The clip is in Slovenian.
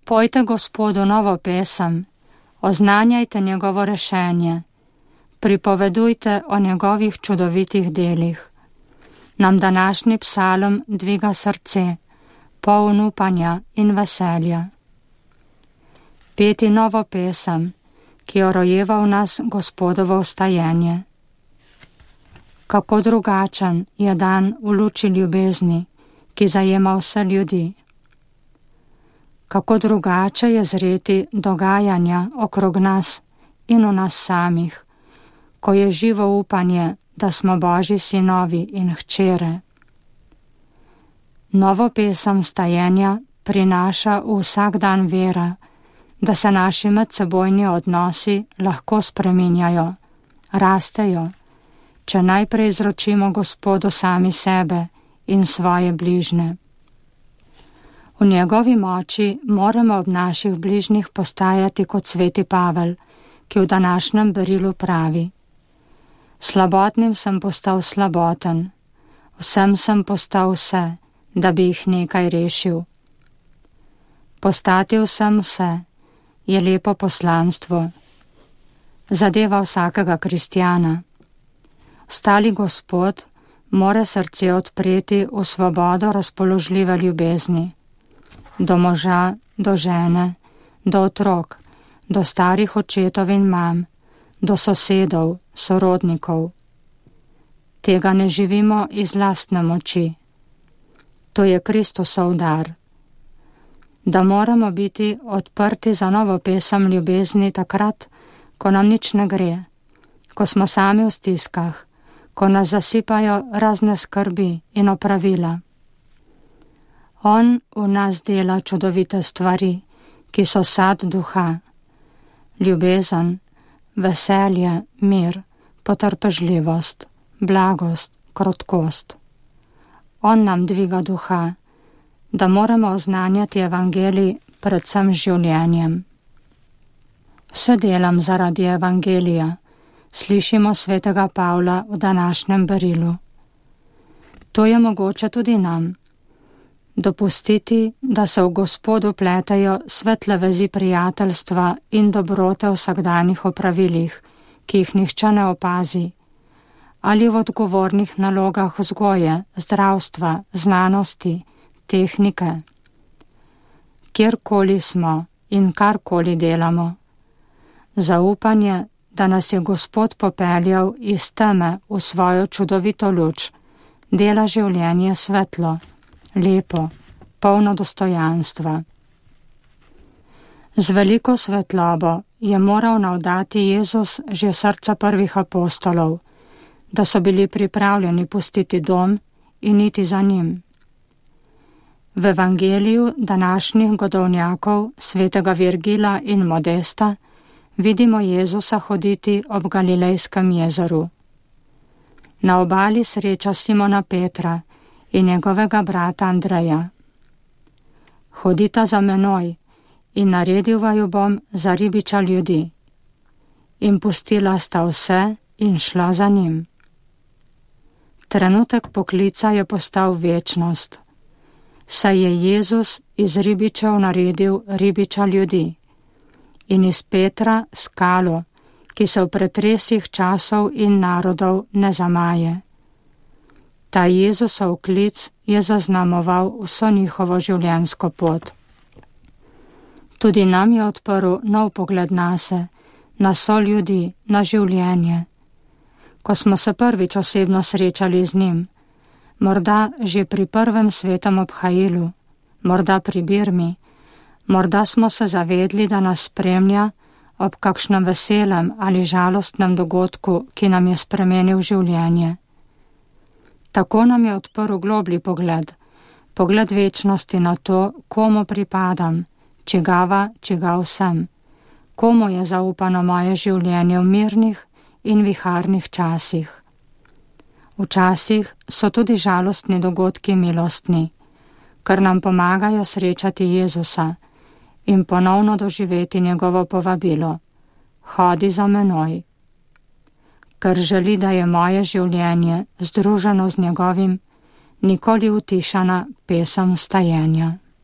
Pojte Gospodu novo pesem, oznanjajte njegovo rešenje, pripovedujte o njegovih čudovitih delih. Nam današnji psalm dviga srce, poln upanja in veselja. Peti novo pesem, ki jo rojeva v nas Gospodovo vstajenje. Kako drugačen je dan v luči ljubezni, ki zajema vse ljudi. Kako drugače je zreti dogajanja okrog nas in v nas samih, ko je živo upanje, da smo Božji sinovi in hčere. Novo pesem stajenja prinaša v vsak dan vera, da se naši medsebojni odnosi lahko spreminjajo, rastejo, če najprej izročimo Gospodu sami sebe in svoje bližne. V njegovi moči moramo ob naših bližnjih postajati kot sveti Pavel, ki v današnjem berilu pravi: Slabotnim sem postal slaboten, vsem sem postal vse, da bi jih nekaj rešil. Postati vsem vse je lepo poslanstvo. Zadeva vsakega kristjana. Ostali Gospod mora srce odpreti v svobodo razpoložljive ljubezni. Do moža, do žene, do otrok, do starih očetov in mam, do sosedov, sorodnikov. Tega ne živimo iz lastne moči. To je Kristusov dar. Da moramo biti odprti za novo pesem ljubezni takrat, ko nam nič ne gre, ko smo sami v stiskah, ko nas zasipajo razne skrbi in opravila. On v nas dela čudovite stvari, ki so sad duha, ljubezen, veselje, mir, potrpežljivost, blagost, krotkost. On nam dviga duha, da moramo oznanjati evangelij predvsem življenjem. Vse delam zaradi evangelija, slišimo svetega Pavla v današnjem berilu. To je mogoče tudi nam. Dopustiti, da se v Gospodu pletajo svetle vezi prijateljstva in dobrote v vsakdanjih opravilih, ki jih nihče ne opazi, ali v odgovornih nalogah vzgoje, zdravstva, znanosti, tehnike. Kjerkoli smo in karkoli delamo. Zaupanje, da nas je Gospod popeljal iz teme v svojo čudovito luč, dela življenje svetlo, lepo, polno dostojanstva. Z veliko svetlobo je moral navdati Jezus že srca prvih apostolov, da so bili pripravljeni pustiti dom in iti za njim. V evangeliju današnjih godovnjakov svetega Virgila in Modesta vidimo Jezusa hoditi ob Galilejskem jezeru. Na obali sreča Simona Petra in njegovega brata Andreja. Hodita za menoj in naredil vaju bom za ribiča ljudi. In pustila sta vse in šla za njim. Trenutek poklica je postal večnost, saj je Jezus iz ribičev naredil ribiča ljudi in iz Petra skalo, ki se v pretresih časov in narodov ne zamaje. Ta Jezusov klic je zaznamoval vso njihovo življenjsko pot. Tudi nam je odprl nov pogled nase, na soljudi, na življenje. Ko smo se prvič osebno srečali z njim, morda že pri prvem svetem obhajilu, morda pri Birmi, morda smo se zavedli, da nas spremlja ob kakšnem veselem ali žalostnem dogodku, ki nam je spremenil življenje. Tako nam je odprl globlji pogled, pogled večnosti na to, komu pripadam, čigav sem, komu je zaupano moje življenje v mirnih in viharnih časih. Včasih so tudi žalostni dogodki milostni, ker nam pomagajo srečati Jezusa in ponovno doživeti njegovo povabilo: hodi za menoj. Ker želi, da je moje življenje združeno z njegovim, nikoli utišana pesem vstajenja.